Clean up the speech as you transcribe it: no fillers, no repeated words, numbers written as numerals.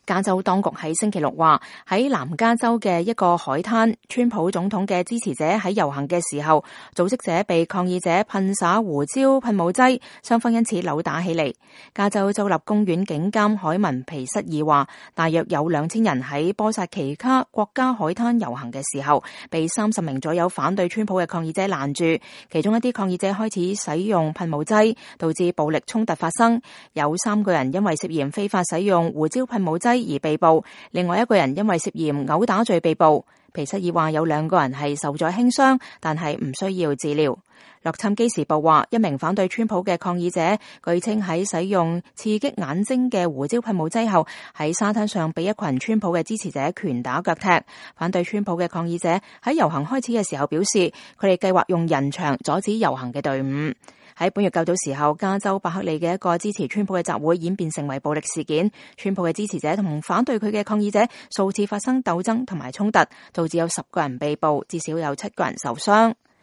加州當局喺星期六話，喺南加州嘅一個海灘，川普總統嘅支持者喺遊行嘅時候，組織者被抗議者噴灑胡椒噴霧劑，雙方因此扭打起嚟。加州州立公園警監凱文皮瑟爾話，大約有2000人喺波薩奇卡國家海灘遊行嘅時候，被30名左右反對川普嘅抗議者攔住，其中一啲抗議者開始使用噴霧劑，導致暴力衝突發生，有3個人因為涉嫌非法使用胡椒噴霧劑而被捕，另外1個人因為涉嫌毆打罪被捕。皮瑟爾話有2個人係受咗輕傷，但係唔需要治療。洛杉磯時報話，一名反對川普嘅抗議者據稱喺使用刺激眼睛嘅胡椒噴霧劑後，喺沙灘上被一群川普嘅支持者拳打腳踢。反對川普嘅抗議者喺遊行開始嘅時候表示，佢哋計劃用人牆阻止遊行嘅隊伍。喺本月較早時候，加州伯克利嘅一個支持川普嘅集會演變成為暴力事件，川普嘅支持者同反對佢嘅抗議者數次發生鬥爭同埋衝突，導致有10個人被捕，至少有7個人受傷。